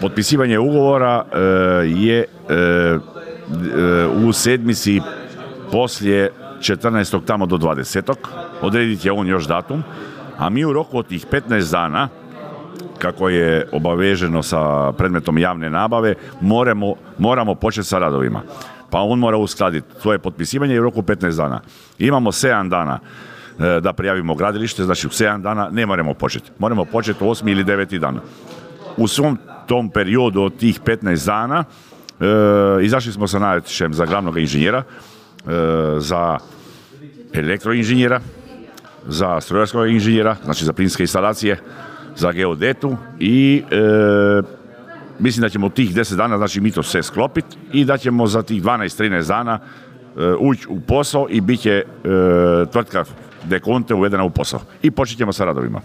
Potpisivanje ugovora je u sedmici poslije 14. tamo do 20. Odrediti je on još datum, a mi u roku od tih 15 dana, kako je obaveženo sa predmetom javne nabave, moramo početi sa radovima. Pa on mora uskladiti svoje potpisivanje u roku 15 dana. Imamo 7 dana da prijavimo gradilište, znači u 7 dana ne moramo početi. Moramo početi u 8. ili 9. dan. U svom tom periodu od tih 15 dana izašli smo sa natječajem za glavnog inženjera, za elektroinženjera, za strojarskog inženjera, znači za plinske instalacije, za geodetu i mislim da ćemo u tih 10 dana, znači mi to sve sklopiti i da ćemo za tih 12-13 dana ući u posao i bit će tvrtka Dekonte uvedena u posao. I počet ćemo sa radovima.